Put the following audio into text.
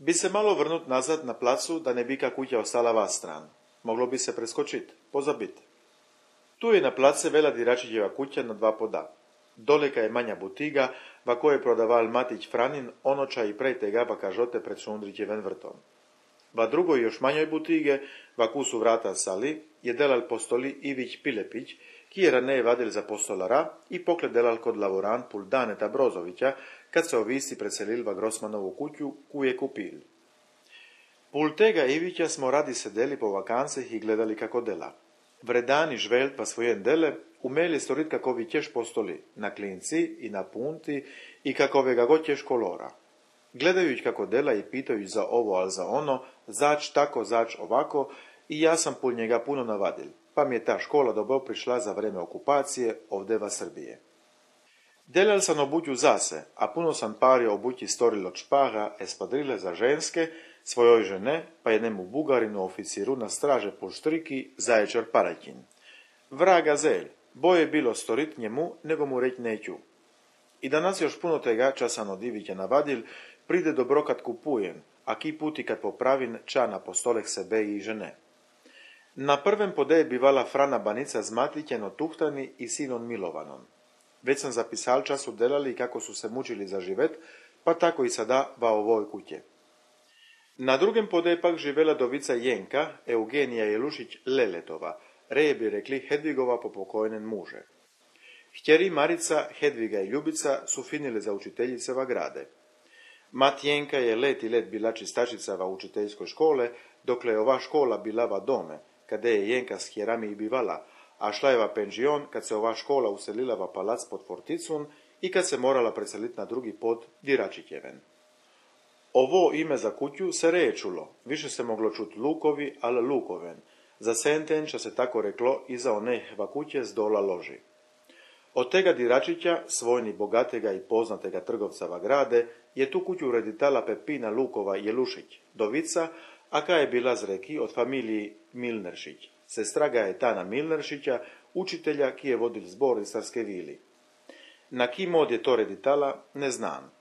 Bi se malo vrnut nazad na placu, da ne bi ka kuća ostala vas stran. Moglo bi se preskočit, pozabit. Tu je na place vela Diračićeva kuća na dva poda. Doleka je manja butiga, va koje prodaval Matić Franin, onoča i prej tega va kažote pred Šundrićevem vrtom. Va drugoj još manjoj butige, va ku su vrata sali, je delal postoli Ivić Pilepić, ki je raneje vadil za postolara i pokled delal kod lavorant pul Daneta Brozovića, kad se ovisi preselil va Grosmanovu kuću, ku je kupil. Pul tega Ivića smo radi sedeli po vakancih i gledali kako dela. Vredani žvelt pa svojen dele, umeli storit kako vi ćeš postoli, na klinci i na punti i kakovega god ćeš kolora. Gledajući kako dela i pitajući za ovo, al za ono, zač tako, zač ovako, i ja sam pul njega puno navadil, pa mi je ta škola dobro prišla za vreme okupacije ovdeva Srbije. Delal sam obuću zase, a puno sam pario obući storil od špaga, espadrile za ženske, svojoj žene, pa jednemu bugarinu oficiru na straže pul štriki zaječar paraćin. Vraga zelj, boje bilo storit njemu, nego mu reć neću. I danas još puno tega časan od Ivića navadil, pride dobro kad kupujem, a ki puti kad popravim čana po stoleh sebe i žene. Na prvem podeje bivala Frana Banica z Matićem od Tuhtani i sinom Milovanom. Već sam zapisal času delali kako su se mučili za živet, pa tako i sada va ovoj kuće. Na drugem podeje pak živela dovica Jenka, Eugenija Jelušić Leletova, reje bi rekli Hedvigova po pokojnen muže. Htjeri Marica, Hedviga i Ljubica su finile za učiteljice va grade. Mat Jenka je let i let bila čistačica va učiteljskoj škole, dokle je ova škola bila va dome, kade je Jenka s hjerami i bivala, a šla je va penžion kad se ova škola uselila va palac pod Forticun i kad se morala preseliti na drugi pod Diračićeven. Ovo ime za kuću se reje čulo, više se moglo čut Lukovi, al Lukoven. Za sentenča se tako reklo i za onehva kuće z dola loži. Od tega Diračića, svojni bogatega i poznatega trgovca va grade, je tu kuću ureditala Pepina Lukova Jelušić, dovica, a ka je bila z reki od familiji Milneršić. Sestra Gajetana Milneršića, učitelja ki je vodil zbor iz Starske vili. Na ki mod je to reditala, ne znam.